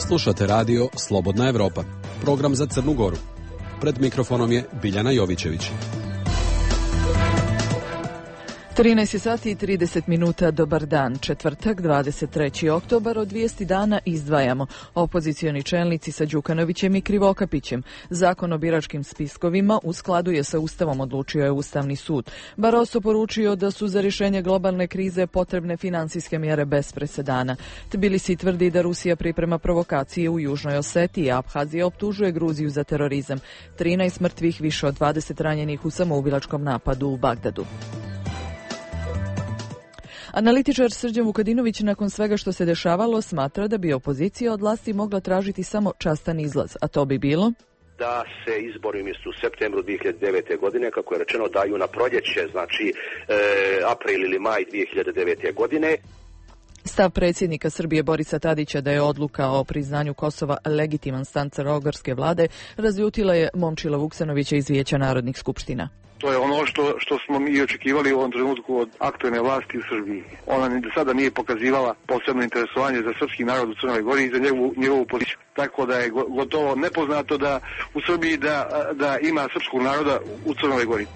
Slušate radio Slobodna Evropa, program za Crnu Goru. Pred mikrofonom je Biljana Jovićević. 13 sati i 30 minuta, dobar dan, četvrtak, 23. oktobar, od vijesti dana izdvajamo. Opozicioni čelnici sa Đukanovićem i Krivokapićem. Zakon o biračkim spiskovima u skladu je sa Ustavom, odlučio je Ustavni sud. Barroso poručio da su za rješenje globalne krize potrebne finansijske mjere bez presedana. Tbilisi tvrdi da Rusija priprema provokacije u Južnoj Osetiji, a Abhazija optužuje Gruziju za terorizam. 13 mrtvih, više od 20 ranjenih u samoubilačkom napadu u Bagdadu. Analitičar Srđan Vukadinović nakon svega što se dešavalo smatra da bi opozicija od vlasti mogla tražiti samo častan izlaz, a to bi bilo da se izbori umjesto u septembru 2009. godine, kako je rečeno, daju na proljeće, znači april ili maj 2009. godine. Stav predsjednika Srbije Borisa Tadića da je odluka o priznanju Kosova legitiman stav crnogorske vlade razljutila je Momčila Vuksanovića iz Vijeća narodnih skupština. To je ono što smo mi očekivali u ovom trenutku od aktualne vlasti u Srbiji. Ona ni do sada nije pokazivala posebno interesovanje za srpski narod u Crnoj Gori i za njegovu politiku. Tako da je gotovo nepoznato da u Srbiji da ima srpskog naroda u Crnoj Gori.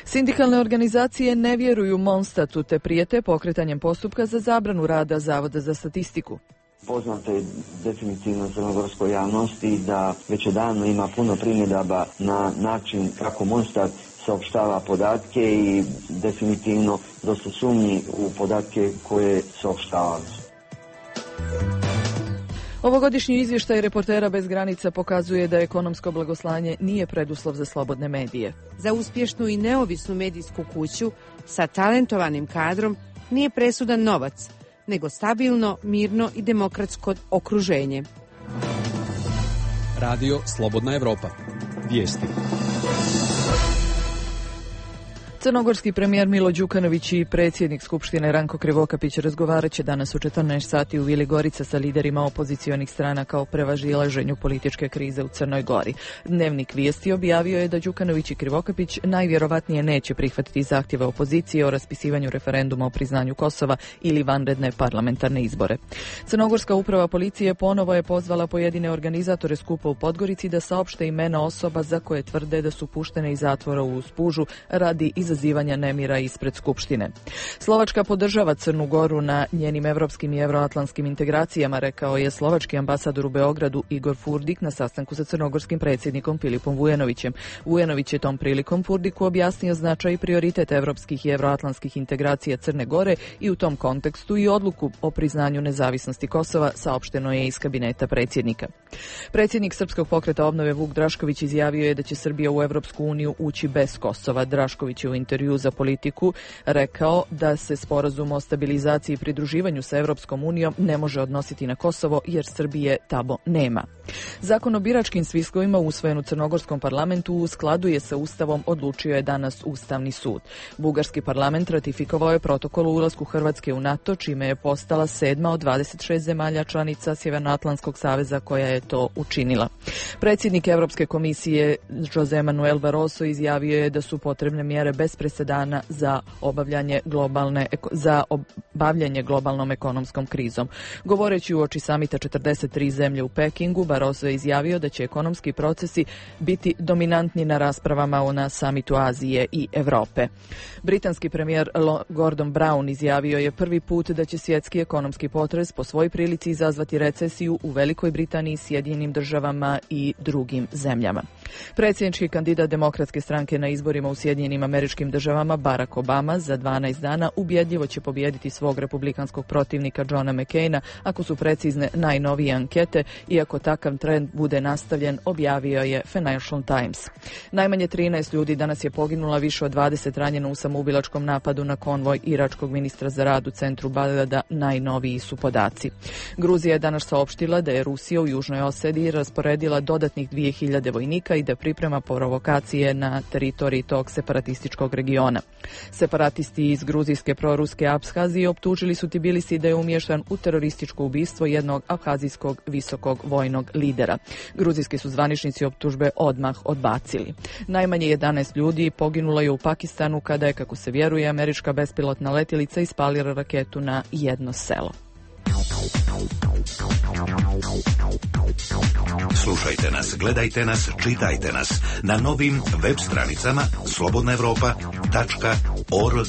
Sindikalne organizacije ne vjeruju Monstatu te prijete pokretanjem postupka za zabranu rada Zavoda za statistiku. Poznato je definitivno crnogorskoj javnosti da već odavno ima puno primjedaba na način kako Monstat saopštava podatke i definitivno dosta sumnji u podatke koje saopštavaju. Ovogodišnji izvještaj Reportera bez granica pokazuje da ekonomsko blagoslanje nije preduslov za slobodne medije. Za uspješnu i neovisnu medijsku kuću sa talentovanim kadrom nije presudan novac, nego stabilno, mirno i demokratsko okruženje. Radio Slobodna Evropa. Vijesti. Crnogorski premijer Milo Đukanović i predsjednik Skupštine Ranko Krivokapić razgovarat će danas u 14 sati u Vili Gorica sa liderima opozicionih stranaka o prevazilaženju političke krize u Crnoj Gori. Dnevnik Vijesti objavio je da Đukanović i Krivokapić najvjerovatnije neće prihvatiti zahtjeve opozicije o raspisivanju referenduma o priznanju Kosova ili vanredne parlamentarne izbore. Crnogorska uprava policije ponovo je pozvala pojedine organizatore skupa u Podgorici da saopšte imena osoba za koje tvrde da su puštene iz zatvora u Spužu radi izazivanja nemira ispred Skupštine. Slovačka podržava Crnu Goru na njenim evropskim i evroatlantskim integracijama, rekao je slovački ambasador u Beogradu Igor Furdik na sastanku sa crnogorskim predsjednikom Filipom Vujanovićem. Vujanović je tom prilikom Furdiku objasnio značaj i prioritet evropskih i evroatlantskih integracija Crne Gore i u tom kontekstu i odluku o priznanju nezavisnosti Kosova, saopšteno je iz kabineta predsjednika. Predsjednik Srpskog pokreta obnove Vuk Drašković izjavio je da će Srbija u Evropsku uniju ući bez Kosova. Drašković je u intervju za Politiku rekao da se sporazum o stabilizaciji i pridruživanju sa Evropskom unijom ne može odnositi na Kosovo jer Srbije tamo nema. Zakon o biračkim spiskovima usvojen u crnogorskom parlamentu u skladu je sa Ustavom, odlučio je danas Ustavni sud. Bugarski parlament ratifikovao je protokol o ulasku Hrvatske u NATO, čime je postala 7. od 26 zemalja članica Sjevernoatlantskog saveza koja je to učinila. Predsjednik Evropske komisije Jose Manuel Barroso izjavio je da su potrebne mjere bez presedana za bavljanje globalnom ekonomskom krizom. Govoreći uoči samita 43 zemlje u Pekingu, Barroso je izjavio da će ekonomski procesi biti dominantni na raspravama na samitu Azije i Europe. Britanski premijer Gordon Brown izjavio je prvi put da će svjetski ekonomski potres po svoj prilici izazvati recesiju u Velikoj Britaniji, Sjedinjenim državama i drugim zemljama. Predsjednički kandidat Demokratske stranke na izborima u Sjedinjenim Američkim Državama Barack Obama za 12 dana ubjedljivo će pobijediti svog republikanskog protivnika Johna McCaina ako su precizne najnovije ankete, iako takav trend bude nastavljen, objavio je Financial Times. Najmanje 13 ljudi danas je poginula, više od 20 ranjeno u samoubilačkom napadu na konvoj iračkog ministra za rad u centru Bagdada, najnoviji su podaci. Gruzija je danas saopštila da je Rusija u Južnoj Osetiji rasporedila dodatnih 2000 vojnika i da priprema provokacije na teritoriji tog separatističkog regiona. Separatisti iz gruzijske proruske Abhazije optužili su Tbilisi da je umješan u terorističko ubistvo jednog abhazijskog visokog vojnog lidera. Gruzijski su zvaničnici optužbe odmah odbacili. Najmanje 11 ljudi poginulo je u Pakistanu kada je, kako se vjeruje, američka bespilotna letjelica ispalila raketu na jedno selo. Slušajte nas, gledajte nas, čitajte nas na novim web stranicama slobodnaevropa.org.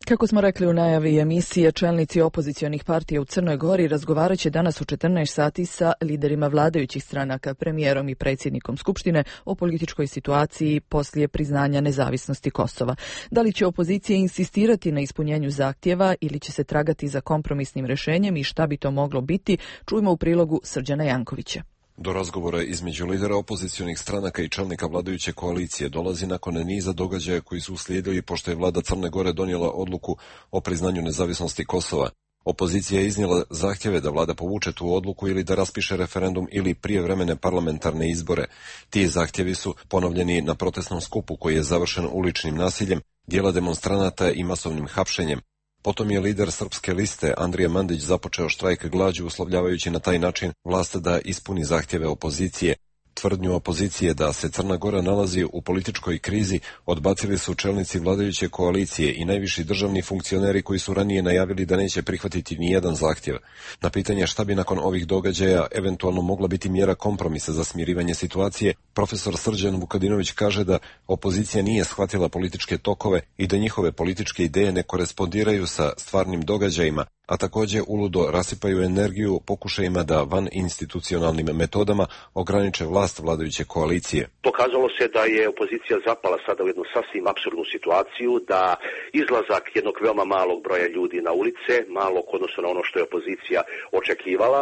Kako smo rekli u najavi emisije, čelnici opozicionih partija u Crnoj Gori razgovarat će danas u 14 sati sa liderima vladajućih stranaka, premijerom i predsjednikom Skupštine o političkoj situaciji poslije priznanja nezavisnosti Kosova. Da li će opozicija insistirati na ispunjenju zahtjeva ili će se tragati za kompromisnim rješenjem i šta bi to moglo biti, čujmo u prilogu Srđana Jankovića. Do razgovora između lidera opozicionih stranaka i čelnika vladajuće koalicije dolazi nakon niza događaja koji su uslijedili pošto je vlada Crne Gore donijela odluku o priznanju nezavisnosti Kosova. Opozicija je iznijela zahtjeve da vlada povuče tu odluku ili da raspiše referendum ili prijevremene parlamentarne izbore. Ti zahtjevi su ponovljeni na protestnom skupu koji je završen uličnim nasiljem, dijela demonstranata i masovnim hapšenjem. Potom je lider Srpske liste Andrija Mandić započeo štrajk glađu uslovljavajući na taj način vlast da ispuni zahtjeve opozicije. Tvrdnju opozicije da se Crna Gora nalazi u političkoj krizi odbacili su čelnici vladajuće koalicije i najviši državni funkcioneri koji su ranije najavili da neće prihvatiti nijedan zahtjev. Na pitanje šta bi nakon ovih događaja eventualno mogla biti mjera kompromisa za smirivanje situacije, profesor Srđan Vukadinović kaže da opozicija nije shvatila političke tokove i da njihove političke ideje ne korespondiraju sa stvarnim događajima, a također uludo rasipaju energiju pokušajima da van institucionalnim metodama ograniče vlast vladajuće koalicije. Pokazalo se da je opozicija zapala sada u jednu sasvim apsurdnu situaciju, da izlazak jednog veoma malog broja ljudi na ulice, malog odnosno na ono što je opozicija očekivala,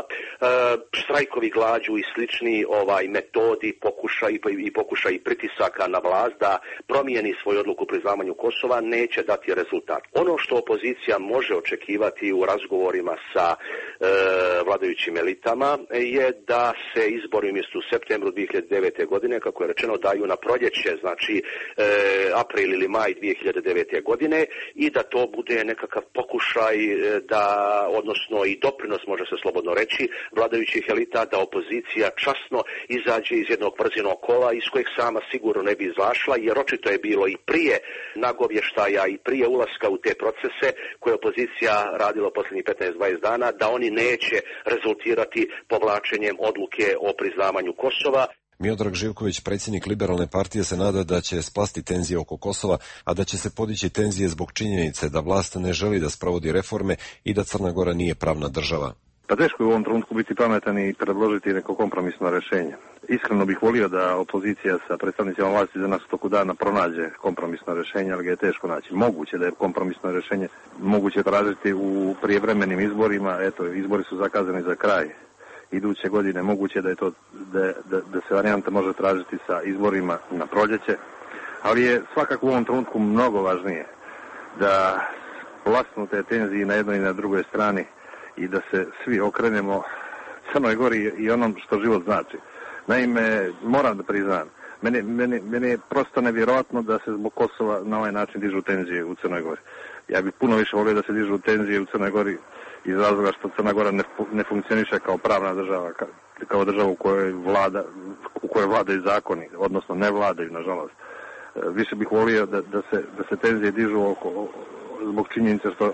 štrajkovi glađu i slični metodi, pokušaj pritisaka na vlast da promijeni svoju odluku o priznavanju Kosova neće dati rezultat. Ono što opozicija može očekivati u razgovorima sa vladajućim elitama je da se izbori umjesto u septembru 2009. godine, kako je rečeno, daju na proljeće, znači april ili maj 2009. godine i da to bude nekakav pokušaj da, odnosno i doprinos, može se slobodno reći, vladajućih elita da opozicija časno izađe iz jednog vrzinog kola iz kojeg sama sigurno ne bi izašla, jer očito je bilo i prije nagovještaja i prije ulaska u te procese koje opozicija radila posljednjih 15-20 dana, da oni neće rezultirati povlačenjem odluke o priznavanju Kosova. Miodrag Živković, predsjednik Liberalne partije, se nada da će splasti tenzije oko Kosova, a da će se podići tenzije zbog činjenice da vlast ne želi da sprovodi reforme i da Crna Gora nije pravna država. Pa teško je u ovom trenutku biti pametan i predložiti neko kompromisno rješenje. Iskreno bih volio da opozicija sa predstavnicima vlasti za nas u toku dana pronađe kompromisno rješenje, ali ga je teško naći. Moguće da je kompromisno rješenje moguće tražiti u prijevremenim izborima. Eto, izbori su zakazani za kraj iduće godine. Moguće da je to da se varijanta može tražiti sa izborima na proljeće, ali je svakako u ovom trenutku mnogo važnije da vlastnu te tenzije na jednoj i na drugoj strani i da se svi okrenemo Crnoj Gori i onom što život znači. Naime, moram da priznam, meni je prosto nevjerojatno da se zbog Kosova na ovaj način dižu tenzije u Crnoj Gori. Ja bih puno više volio da se dižu tenzije u Crnoj Gori iz razloga što Crna Gora ne funkcioniše kao pravna država, kao država u kojoj vladaju zakoni, odnosno ne vladaju, nažalost. Više bih volio da se tenzije dižu zbog činjenice što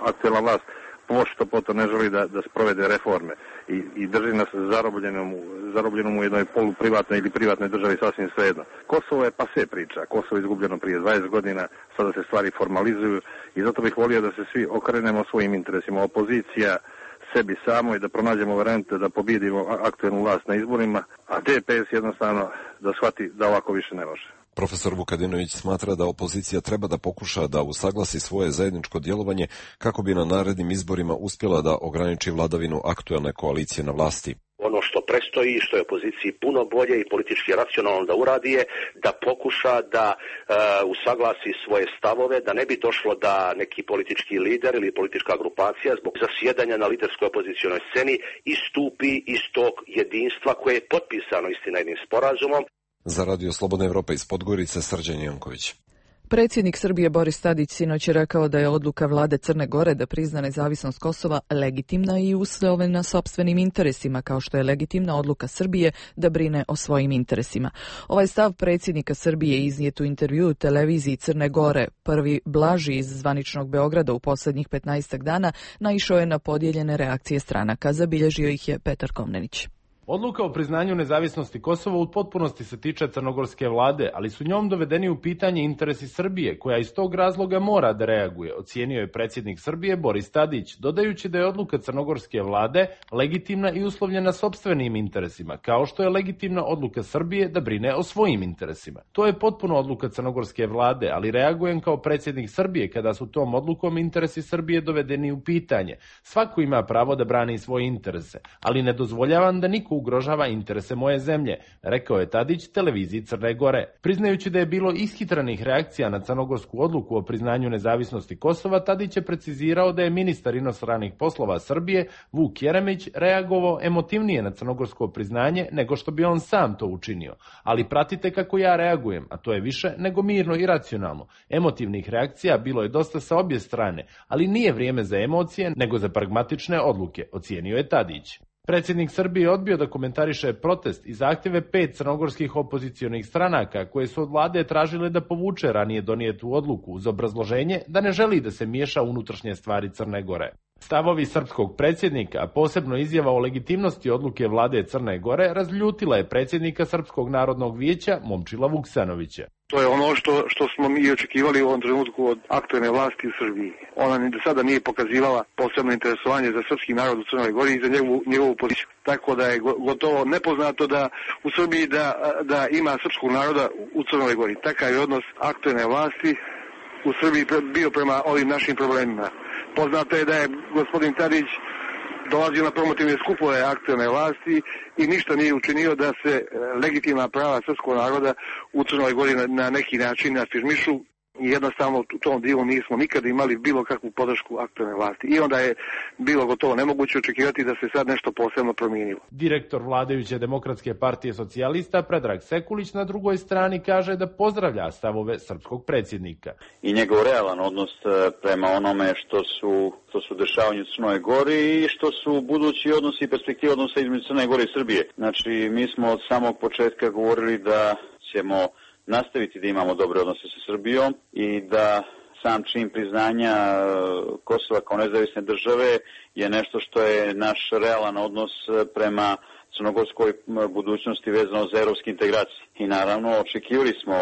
aktuelna vlast pošto poto ne želi da sprovede reforme i drži nas zarobljenom u jednoj poluprivatnoj ili privatnoj državi, sasvim svejedno. Kosovo je pase priča, Kosovo je izgubljeno prije 20 godina, sada se stvari formalizuju i zato bih volio da se svi okrenemo svojim interesima. Opozicija sebi samo i da pronađemo varijante da pobjedimo aktuelnu vlast na izborima, a DPS jednostavno da shvati da ovako više ne može. Profesor Vukadinović smatra da opozicija treba da pokuša da usaglasi svoje zajedničko djelovanje kako bi na narednim izborima uspjela da ograniči vladavinu aktuelne koalicije na vlasti. Ono što prestoji i što je opoziciji puno bolje i politički racionalno da uradi je da pokuša da usaglasi svoje stavove, da ne bi došlo da neki politički lider ili politička grupacija zbog zasjedanja na liderskoj opozicionoj sceni istupi iz tog jedinstva koje je potpisano istina jednim sporazumom. Za Radio Slobodna Evropa iz Podgorice, Srđan Janković. Predsjednik Srbije Boris Tadić sinoć je rekao da je odluka vlade Crne Gore da prizna nezavisnost Kosova legitimna i uslovljena sopstvenim interesima, kao što je legitimna odluka Srbije da brine o svojim interesima. Ovaj stav predsjednika Srbije iznijet u intervjuu televiziji Crne Gore, prvi blaži iz zvaničnog Beograda u posljednjih 15 dana, naišao je na podijeljene reakcije stranaka. Zabilježio ih je Petar Komnenić. Odluka o priznanju nezavisnosti Kosova u potpunosti se tiče crnogorske vlade, ali su njom dovedeni u pitanje interesi Srbije, koja iz tog razloga mora da reaguje, ocijenio je predsjednik Srbije Boris Tadić, dodajući da je odluka crnogorske vlade legitimna i uslovljena sopstvenim interesima, kao što je legitimna odluka Srbije da brine o svojim interesima. To je potpuno odluka crnogorske vlade, ali reagujem kao predsjednik Srbije kada su tom odlukom interesi Srbije dovedeni u pitanje. Svako ima pravo da brani svoje interese, ali ne dozvoljavam da niko ugrožava interese moje zemlje, rekao je Tadić televiziji Crne Gore. Priznajući da je bilo ishitrenih reakcija na crnogorsku odluku o priznanju nezavisnosti Kosova, Tadić je precizirao da je ministar inostranih poslova Srbije Vuk Jeremić reagovao emotivnije na crnogorsko priznanje nego što bi on sam to učinio. Ali pratite kako ja reagujem, a to je više nego mirno i racionalno. Emotivnih reakcija bilo je dosta sa obje strane, ali nije vrijeme za emocije nego za pragmatične odluke, ocijenio je Tadić. Predsjednik Srbije odbio da komentariše protest i zahtjeve 5 crnogorskih opozicionih stranaka koje su od vlade tražile da povuče ranije donijetu odluku uz obrazloženje da ne želi da se miješa unutrašnje stvari Crne Gore. Stavovi srpskog predsjednika, a posebno izjava o legitimnosti odluke vlade Crne Gore, razljutila je predsjednika Srpskog narodnog vijeća Momčila Vuksanovića. To je ono što smo mi očekivali u ovom trenutku od aktualne vlasti u Srbiji. Ona ni do sada nije pokazivala posebno interesovanje za srpski narod u Crnoj Gori i za njegovu poziciju. Tako da je gotovo nepoznato da u Srbiji da ima srpskog naroda u Crnoj Gori. Takav je odnos aktualne vlasti u Srbiji bio prema ovim našim problemima. Poznato je da je gospodin Tadić dolazio na promotivne skupove aktualne vlasti i ništa nije učinio da se legitimna prava srpskog naroda u Crnoj Gori na neki način afirmišu. I jednostavno u tom dijelu nismo nikad imali bilo kakvu podršku aktualne vlasti. I onda je bilo gotovo nemoguće očekivati da se sad nešto posebno promijenilo. Direktor vladajuće Demokratske partije socijalista Predrag Sekulić na drugoj strani kaže da pozdravlja stavove srpskog predsjednika. I njegov realan odnos prema onome što su dešavanje u Crnoj Gori i što su budući odnosi i perspektive odnosa između Crne Gore i Srbije. Znači, mi smo od samog početka govorili da ćemo nastaviti da imamo dobre odnose sa Srbijom i da sam čin priznanja Kosova kao nezavisne države je nešto što je naš realan odnos prema crnogorskoj budućnosti vezano za evropske integracije. I naravno očekivali smo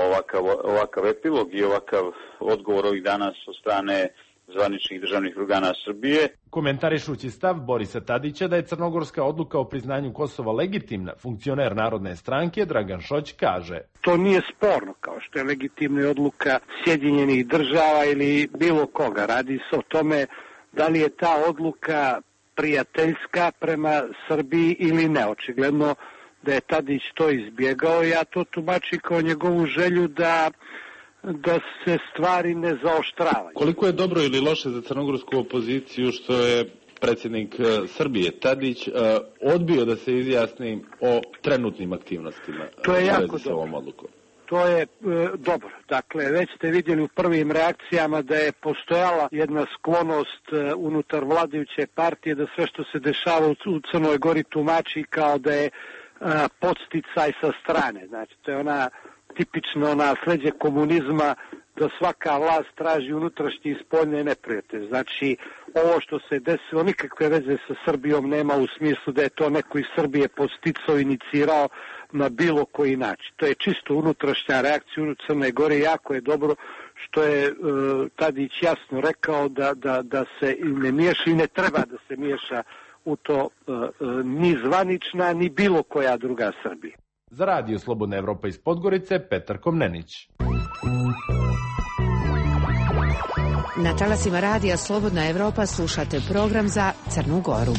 ovakav epilog i ovakav odgovor ovih danas od strane zvaničnih državnih organa Srbije. Komentarišući stav Borisa Tadića da je crnogorska odluka o priznanju Kosova legitimna, funkcioner Narodne stranke Dragan Šoć kaže: To nije sporno, kao što je legitimna odluka Sjedinjenih država ili bilo koga. Radi se o tome da li je ta odluka prijateljska prema Srbiji ili ne. Očigledno da je Tadić to izbjegao. Ja to tumačim kao njegovu želju da se stvari ne zaoštravaju. Koliko je dobro ili loše za crnogorsku opoziciju što je predsjednik Srbije Tadić odbio da se izjasni o trenutnim aktivnostima? To je jako dobro. To je dobro. Dakle, već ste vidjeli u prvim reakcijama da je postojala jedna sklonost unutar vladajuće partije da sve što se dešava u Crnoj Gori tumači kao da je podsticaj sa strane. Znači, to je tipično nasleđe komunizma da svaka vlast traži unutrašnje i spoljne neprijatelje. Znači, ovo što se desilo nikakve veze sa Srbijom nema u smislu da je to neko iz Srbije podsticao, inicirao na bilo koji način. To je čisto unutrašnja reakcija u Crnoj Gori. Jako je dobro što je Tadić jasno rekao da se ne miješa i ne treba da se miješa u to ni zvanična, ni bilo koja druga Srbija. Za Radio Slobodna Evropa iz Podgorice, Petar Komnenić. Na talasima Radija Slobodna Evropa slušate program za Crnu Goru.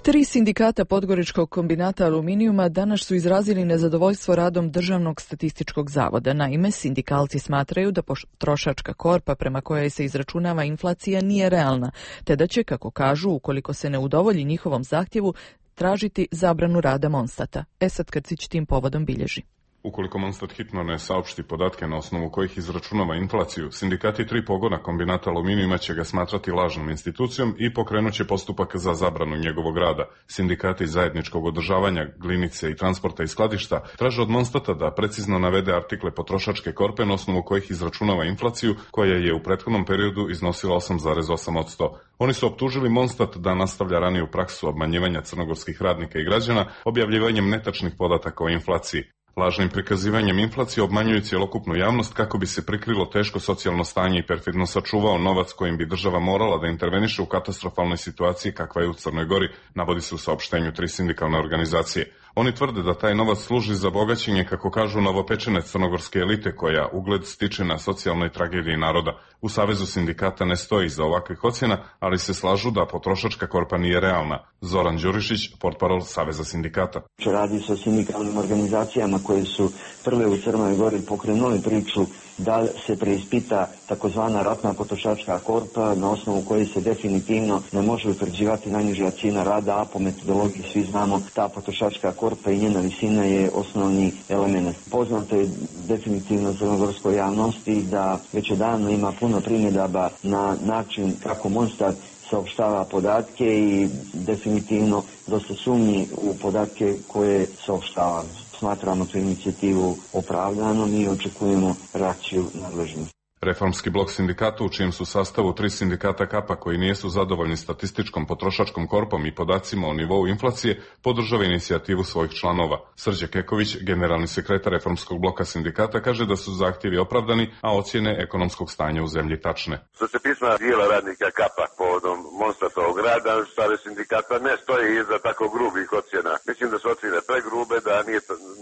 3 sindikata Podgoričkog kombinata aluminijuma danas su izrazili nezadovoljstvo radom Državnog statističkog zavoda. Naime, sindikalci smatraju da potrošačka korpa prema kojoj se izračunava inflacija nije realna, te da će, kako kažu, ukoliko se ne udovolji njihovom zahtjevu, tražiti zabranu rada Monstata. Esad Krcić tim povodom bilježi. Ukoliko Monstat hitno ne saopšti podatke na osnovu kojih izračunava inflaciju, sindikati 3 pogona kombinata aluminijuma će ga smatrati lažnom institucijom i pokrenut će postupak za zabranu njegovog rada. Sindikati zajedničkog održavanja, glinice i transporta i skladišta traže od Monstata da precizno navede artikle potrošačke korpe na osnovu kojih izračunava inflaciju, koja je u prethodnom periodu iznosila 8,8%. Oni su optužili Monstat da nastavlja raniju praksu obmanjivanja crnogorskih radnika i građana objavljivanjem netačnih podataka o inflaciji. Lažnim prikazivanjem inflacije obmanjuju cjelokupnu javnost kako bi se prikrilo teško socijalno stanje i perfidno sačuvao novac kojim bi država morala da interveniše u katastrofalnoj situaciji kakva je u Crnoj Gori, navodi se u saopštenju 3 sindikalne organizacije. Oni tvrde da taj novac služi za bogaćenje, kako kažu, novopečene crnogorske elite koja ugled stiče na socijalnoj tragediji naroda. U Savezu sindikata ne stoji iza ovakvih ocjena, ali se slažu da potrošačka korpa nije realna. Zoran Đurišić, portparol Saveza sindikata. Radi se o sindikalnim organizacijama koje su prve u Crnoj Gori pokrenuli priču da se preispita takozvana ratna potrošačka korpa na osnovu koje se definitivno ne može utvrđivati najniža cijena rada, a po metodologiji svi znamo ta potrošačka korpa i njena visina je osnovni element. Poznato je definitivno crnogorskoj javnosti da već odavno ima puno primjedaba na način kako Monstat saopštava podatke i definitivno dosta sumnji u podatke koje saopštava. Smatramo tu inicijativu opravdanom i očekujemo reakciju nadležnih. Reformski blok sindikata, u čijem su sastavu 3 sindikata KAPA koji nisu zadovoljni statističkom potrošačkom korpom i podacima o nivou inflacije, podržava inicijativu svojih članova. Srđe Keković, generalni sekretar Reformskog bloka sindikata, kaže da su zahtjevi opravdani, a ocjene ekonomskog stanja u zemlji tačne. Što se pisma dijela radnika KAPA povodom Monstatovog rada, Savez sindikata ne stoji iza tako grubih ocjena. Mislim da su ocjene pregrube, da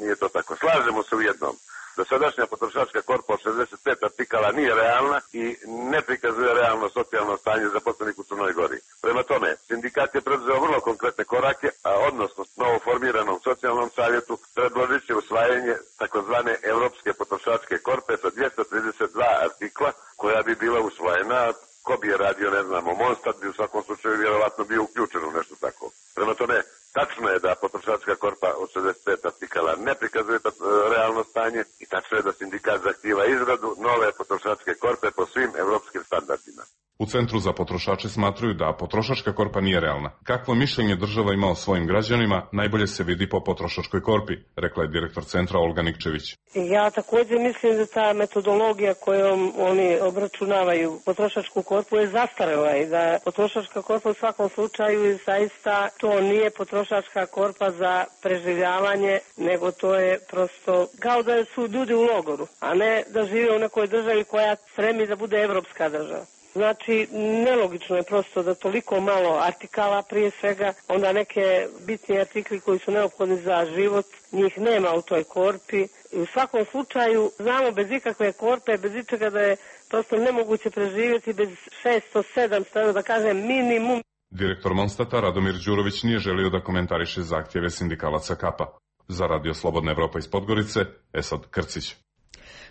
nije to tako. Slažemo se u jednom. Dosadašnja potrošačka korpa od 65 artikala nije realna i ne prikazuje realno socijalno stanje zaposlenih u Crnoj Gori. Prema tome, sindikat je preduzeo vrlo konkretne korake, a odnosno novo formiranom socijalnom savjetu predložit će usvajanje takozvane Europske potrošačke korpe sa 232 artikla, koja bi bila usvojena. Ko bi je radio, ne znamo, Monstat bi u svakom slučaju vjerovatno bio uključen u nešto tako. Prema tome, tačno je da potrošačka korpa od 65 artikala ne prikazuje realno stanje i tačno je da sindikat zahtijeva izradu nove potrošačke korpe po svim evropskim standardima. U Centru za potrošače smatruju da potrošačka korpa nije realna. Kakvo mišljenje država ima o svojim građanima, najbolje se vidi po potrošačkoj korpi, rekla je direktor centra Olga Nikčević. Ja također mislim da ta metodologija kojom oni obračunavaju potrošačku korpu je zastarela i da potrošačka korpa u svakom slučaju zaista to nije potrošačka korpa za preživljavanje, nego to je prosto kao da su ljudi u logoru, a ne da žive u nekoj državi koja stremi da bude evropska država. Znači, nelogično je prosto da toliko malo artikala prije svega, onda neke bitni artikli koji su neophodni za život, njih nema u toj korpi. I u svakom slučaju, znamo bez ikakve korpe, bez ičega da je prosto nemoguće preživjeti bez 600-700, da kažem minimum. Direktor Monstata Radomir Đurović nije želio da komentariše zahtjeve sindikalaca KAPA. Za Radio Slobodna Evropa iz Podgorice, Esad Krcić.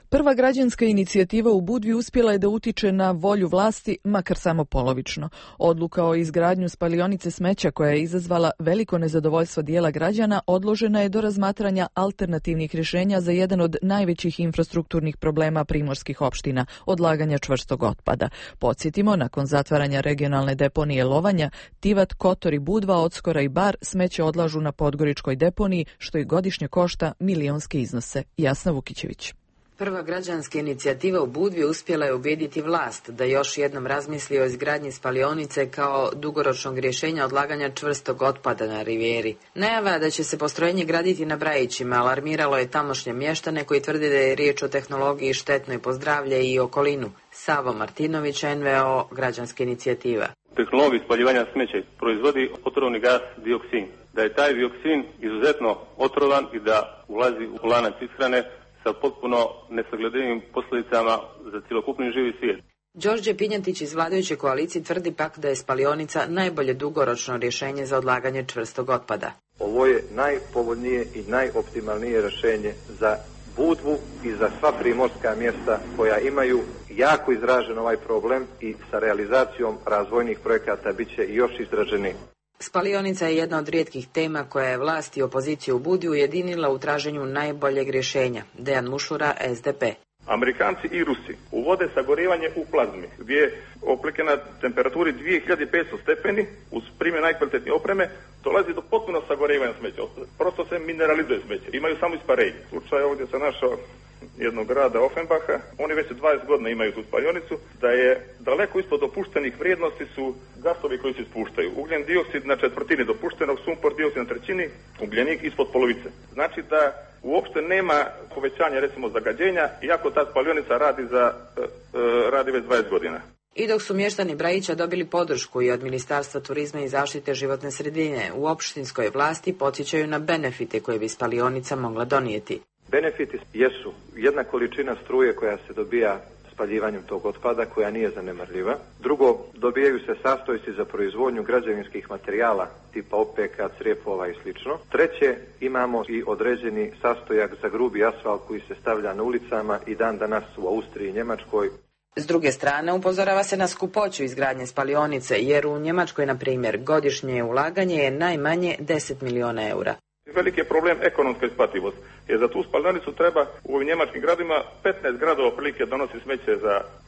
Prva građanska inicijativa u Budvi uspjela je da utiče na volju vlasti, makar samo polovično. Odluka o izgradnju spalionice smeća koja je izazvala veliko nezadovoljstvo dijela građana odložena je do razmatranja alternativnih rješenja za jedan od najvećih infrastrukturnih problema primorskih opština, odlaganja čvrstog otpada. Podsjetimo, nakon zatvaranja regionalne deponije Lovanja, Tivat, Kotor i Budva, Odskora i Bar smeće odlažu na podgoričkoj deponiji, što i godišnje košta milionske iznose. Jasna Vukićević. Prva građanska inicijativa u Budvi uspjela je ubijediti vlast da još jednom razmisli o izgradnji spalionice kao dugoročnog rješenja odlaganja čvrstog otpada na rivijeri. Najava da će se postrojenje graditi na Brajićima alarmiralo je tamošnje mještane koji tvrde da je riječ o tehnologiji štetnoj po zdravlje i okolinu. Savo Martinović, NVO, građanska inicijativa. Tehnologija spaljivanja smeća proizvodi otrovni gas dioksin. Da je taj dioksin izuzetno otrovan i da ulazi u lanac ishrane sa potpuno nesagledivim posljedicama za cjelokupni živi svijet. Đorđe Pinjatić iz vladajuće koalicije tvrdi pak da je spalionica najbolje dugoročno rješenje za odlaganje čvrstog otpada. Ovo je najpovoljnije i najoptimalnije rješenje za Budvu i za sva primorska mjesta koja imaju jako izražen ovaj problem i sa realizacijom razvojnih projekata bit će još izraženiji. Spalionica je jedna od rijetkih tema koja je vlast i opoziciju u Budvi ujedinila u traženju najboljeg rješenja. Dejan Mušura, SDP. Amerikanci i Rusi uvode sagorevanje u plazmi, gdje je oplike na temperaturi 2500 stepeni, uz primjer najkvalitetnije opreme, dolazi do potpuno sagorevanja smeća. Prosto se mineralizuje smeće, imaju samo isparenje. Slučaj ovdje sam našao jednog grada Offenbacha, oni već 20 godina imaju tu spalionicu, da je daleko ispod dopuštenih vrijednosti su gasovi koji se ispuštaju. Ugljen dioksid na četvrtini dopuštenog, sumpor dioksid na trećini, ugljenik ispod polovice. Znači da uopšte nema povećanja recimo zagađenja, iako ta spalionica radi već 20 godina. I dok su mještani Brajića dobili podršku i od Ministarstva turizma i zaštite životne sredine, u opštinskoj vlasti podsjećaju na benefite koje bi spalionica mogla donijeti. Benefiti jesu jedna količina struje koja se dobija spaljivanjem tog otpada, koja nije zanemarljiva. Drugo, dobijaju se sastojci za proizvodnju građevinskih materijala tipa opeka, crijepova i sl. Treće, imamo i određeni sastojak za grubi asfalt koji se stavlja na ulicama i dan danas u Austriji i Njemačkoj. S druge strane, upozorava se na skupoću izgradnje spalionice, jer u Njemačkoj, na primjer, godišnje ulaganje je najmanje 10 miliona eura. Veliki je problem ekonomska isplativost, jer za tu spalionicu treba u ovim njemačkim gradima 15 gradova otprilike donosi smeće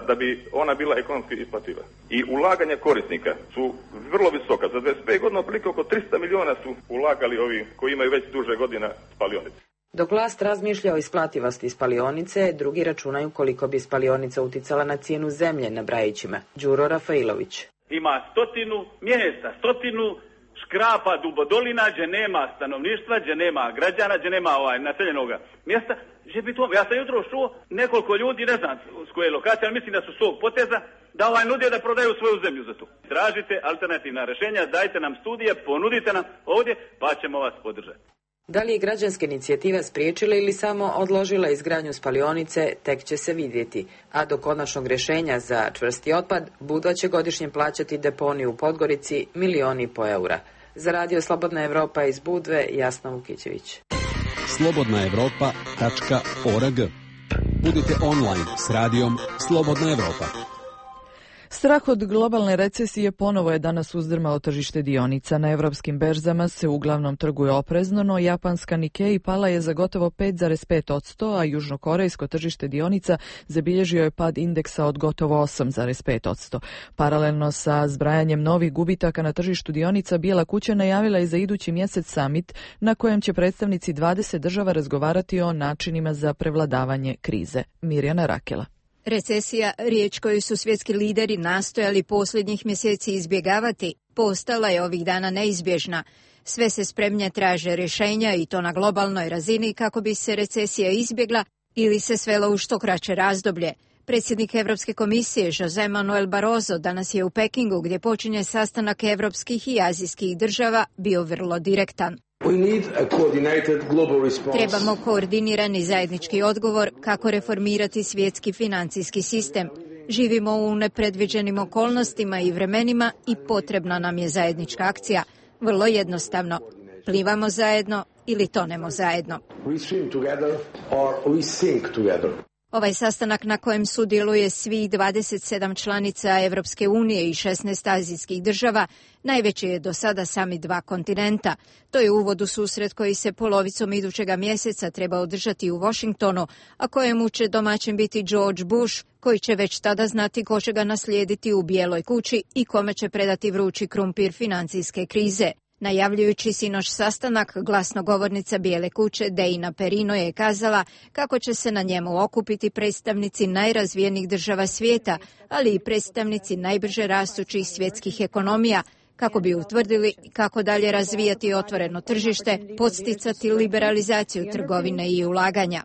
da bi ona bila ekonomski isplativa. I ulaganja korisnika su vrlo visoka. Za 25 godina otprilike oko 300 miliona su ulagali ovi koji imaju već duže godina spalionice. Dok vlast razmišlja o isplativosti spalionice, drugi računaju koliko bi spalionica uticala na cijenu zemlje na Brajićima. Đuro Rafailović. Ima 100 mjesta, 100 škrapa dubodolina, gdje nema stanovništva, gdje nema građana, gdje nema naseljenog mjesta. Ja sam jutro čuo nekoliko ljudi, ne znam s koje lokacije, ali mislim da su svog poteza, da nude da prodaju svoju zemlju za to. Tražite alternativna rješenja, dajte nam studije, ponudite nam ovdje, pa ćemo vas podržati. Da li je građanska inicijativa spriječila ili samo odložila izgradnju spalionice, tek će se vidjeti. A do konačnog rješenja za čvrsti otpad, Budva će godišnje plaćati deponiju u Podgorici $1,5 miliona. Za radio Slobodna Evropa iz Budve, Jasna Vukićević. slobodnaevropa.org. Budite online s radijom Slobodna Evropa. Strah od globalne recesije ponovo je danas uzdrmao tržište dionica. Na evropskim berzama se uglavnom trguje oprezno, no japanska Nikkei pala je za gotovo 5,5%, a južnokorejsko tržište dionica zabilježio je pad indeksa od gotovo 8,5%. Paralelno sa zbrajanjem novih gubitaka na tržištu dionica, Bijela kuća najavila je za idući mjesec summit na kojem će predstavnici 20 država razgovarati o načinima za prevladavanje krize. Mirjana Rakela. Recesija, riječ koju su svjetski lideri nastojali posljednjih mjeseci izbjegavati, postala je ovih dana neizbježna. Sve se spremnije traže rješenja i to na globalnoj razini kako bi se recesija izbjegla ili se svela u što kraće razdoblje. Predsjednik Europske komisije José Manuel Barroso danas je u Pekingu, gdje počinje sastanak evropskih i azijskih država, bio vrlo direktan. Trebamo koordinirani zajednički odgovor kako reformirati svjetski financijski sistem. Živimo u nepredviđenim okolnostima i vremenima i potrebna nam je zajednička akcija. Vrlo jednostavno. Plivamo zajedno ili tonemo zajedno. Ovaj sastanak na kojem sudjeluje svih 27 članica Europske unije i 16 azijskih država najveći je do sada summit dva kontinenta. To je uvod u susret koji se polovicom idućega mjeseca treba održati u Washingtonu, a kojemu će domaćin biti George Bush, koji će već tada znati ko će ga naslijediti u Bijeloj kući i kome će predati vrući krumpir financijske krize. Najavljujući sinoć sastanak, glasnogovornica Bijele kuće Deina Perino je kazala kako će se na njemu okupiti predstavnici najrazvijenijih država svijeta, ali i predstavnici najbrže rastućih svjetskih ekonomija, kako bi utvrdili kako dalje razvijati otvoreno tržište, podsticati liberalizaciju trgovine i ulaganja.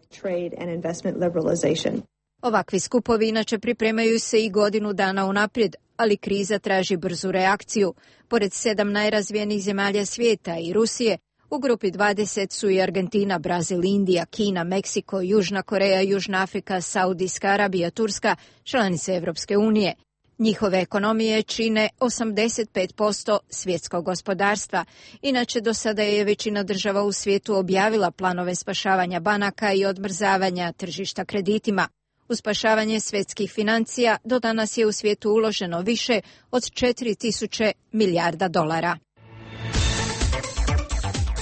Ovakvi skupovi inače pripremaju se i godinu dana unaprijed, ali kriza traži brzu reakciju. Pored 7 najrazvijenijih zemalja svijeta i Rusije, U grupi 20 su i Argentina, Brazil, Indija, Kina, Meksiko, Južna Koreja, Južna Afrika, Saudijska Arabija, Turska, članice Evropske unije. Njihove ekonomije čine 85% svjetskog gospodarstva. Inače, do sada je većina država u svijetu objavila planove spašavanja banaka i odmrzavanja tržišta kreditima. U spašavanje svjetskih financija do danas je u svijetu uloženo više od 4.000 milijarda dolara.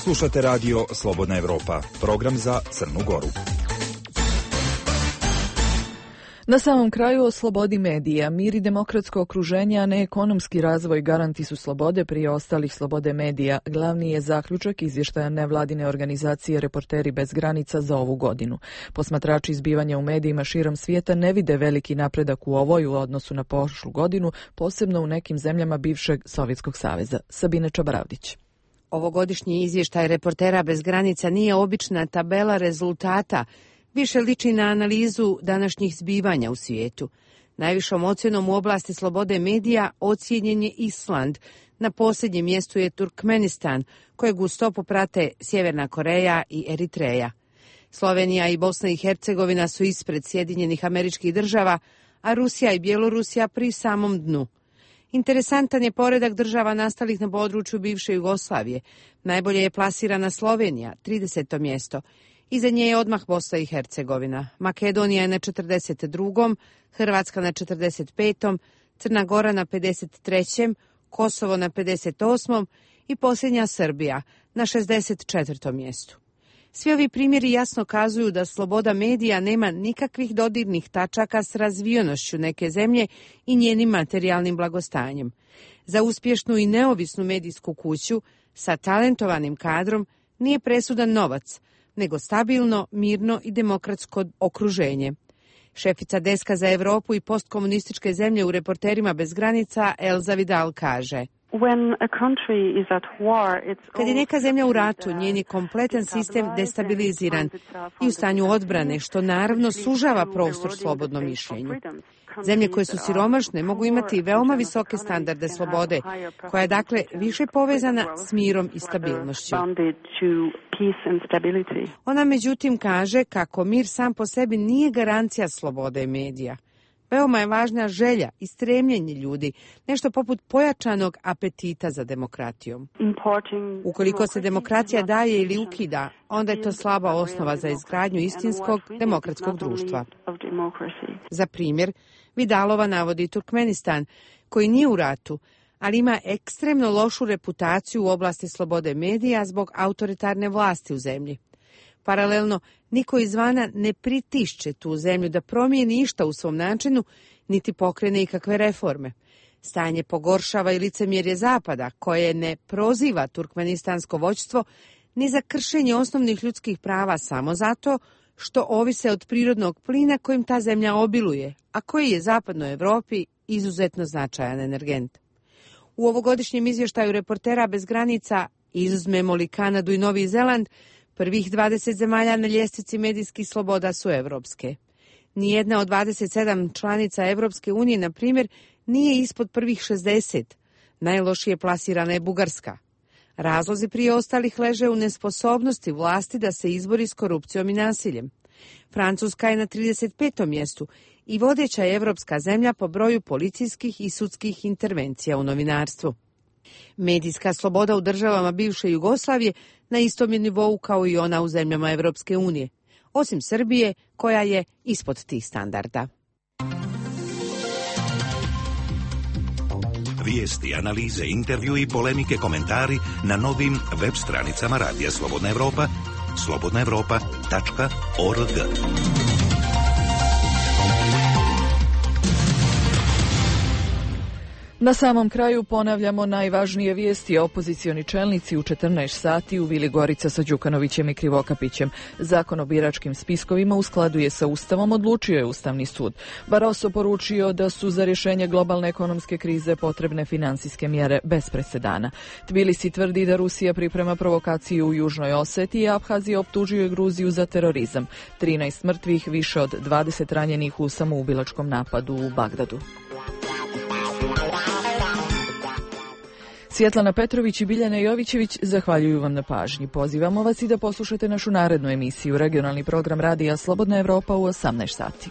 Slušate radio Slobodna Evropa, program za Crnu Goru. Na samom kraju o slobodi medija. Mir i demokratsko okruženje, a ne ekonomski razvoj garanti su slobode prije ostalih slobode medija. Glavni je zaključak izvještaja nevladine organizacije Reporteri bez granica za ovu godinu. Posmatrači zbivanja u medijima širom svijeta ne vide veliki napredak u ovoj u odnosu na prošlu godinu, posebno u nekim zemljama bivšeg Sovjetskog saveza. Sabina Čabaravdić. Ovogodišnji izvještaj Reportera bez granica nije obična tabela rezultata, više liči na analizu današnjih zbivanja u svijetu. Najvišom ocjenom u oblasti slobode medija ocijenjen je Island. Na posljednjem mjestu je Turkmenistan, kojeg u stopu prate Sjeverna Koreja i Eritreja. Slovenija i Bosna i Hercegovina su ispred Sjedinjenih Američkih Država, a Rusija i Bjelorusija pri samom dnu. Interesantan je poredak država nastalih na području bivše Jugoslavije. Najbolje je plasirana Slovenija, 30. mjesto. Iza nje je odmah Bosna i Hercegovina. Makedonija je na 42., Hrvatska na 45., Crna Gora na 53., Kosovo na 58. i posljednja Srbija na 64. mjestu. Svi ovi primjeri jasno kazuju da sloboda medija nema nikakvih dodirnih tačaka s razvijenošću neke zemlje i njenim materijalnim blagostanjem. Za uspješnu i neovisnu medijsku kuću sa talentovanim kadrom nije presudan novac, nego stabilno, mirno i demokratsko okruženje. Šefica deska za Europu i postkomunističke zemlje u Reporterima bez granica Elza Vidal kaže: kad je neka zemlja u ratu, njen je kompletan sistem destabiliziran i u stanju odbrane, što naravno sužava prostor slobodnom mišljenju. Zemlje koje su siromašne mogu imati veoma visoke standarde slobode, koja je dakle više povezana s mirom i stabilnošću. Ona međutim kaže kako mir sam po sebi nije garancija slobode medija. Veoma je važna želja i stremljenje ljudi, nešto poput pojačanog apetita za demokratijom. Ukoliko se demokracija daje ili ukida, onda je to slaba osnova za izgradnju istinskog demokratskog društva. Za primjer, Vidalova navodi Turkmenistan, koji nije u ratu, ali ima ekstremno lošu reputaciju u oblasti slobode medija zbog autoritarne vlasti u zemlji. Paralelno, niko izvana ne pritišće tu zemlju da promijeni išta u svom načinu, niti pokrene ikakve reforme. Stanje pogoršava i licemjerje Zapada, koje ne proziva turkmenistansko vođstvo ni za kršenje osnovnih ljudskih prava samo zato što ovise od prirodnog plina kojim ta zemlja obiluje, a koji je zapadnoj Europi izuzetno značajan energent. U ovogodišnjem izvještaju Reportera bez granica, izuzmemo li Kanadu i Novi Zeland, prvih 20 zemalja na ljestvici medijskih sloboda su evropske. Nijedna od 27 članica Evropske unije, na primjer, nije ispod prvih 60. Najlošije plasirana je Bugarska. Razlozi prije ostalih leže u nesposobnosti vlasti da se izbori s korupcijom i nasiljem. Francuska je na 35. mjestu i vodeća je evropska zemlja po broju policijskih i sudskih intervencija u novinarstvu. Medijska sloboda u državama bivše Jugoslavije na istom je nivou kao i ona u zemljama Evropske unije, osim Srbije koja je ispod tih standarda. Vijesti, analize, intervju i polemike, komentari na novim web stranicama Radija Slobodna Evropa, slobodnaevropa.org. Na samom kraju ponavljamo najvažnije vijesti. Opozicioni čelnici u 14 sati u Vili Gorica sa Đukanovićem i Krivokapićem. Zakon o biračkim spiskovima u skladu je sa Ustavom, odlučio je Ustavni sud. Barroso poručio da su za rješenje globalne ekonomske krize potrebne finansijske mjere bez presedana. Tbilisi tvrdi da Rusija priprema provokaciju u Južnoj Osetiji, a Abhazija optužuje Gruziju za terorizam. 13 mrtvih, više od 20 ranjenih u samoubilačkom napadu u Bagdadu. Svjetlana Petrović i Biljana Jovićević zahvaljuju vam na pažnji. Pozivamo vas i da poslušate našu narednu emisiju, regionalni program radija Slobodna Evropa u 18 sati.